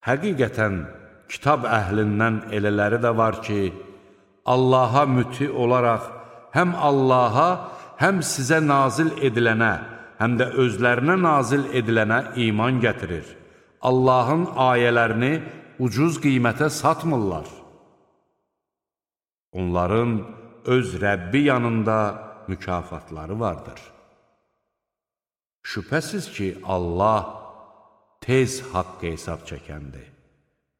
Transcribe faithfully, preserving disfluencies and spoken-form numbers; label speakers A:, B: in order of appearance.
A: Həqiqətən, kitab əhlindən elələri də var ki, Allaha müti olaraq həm Allaha, həm sizə nazil edilənə, həm də özlərinə nazil edilənə iman gətirir. Allahın ayələrini ucuz qiymətə satmırlar. Onların öz Rəbbi yanında mükafatları vardır. Şübhəsiz ki, Allah tez haqq hesab çəkəndir.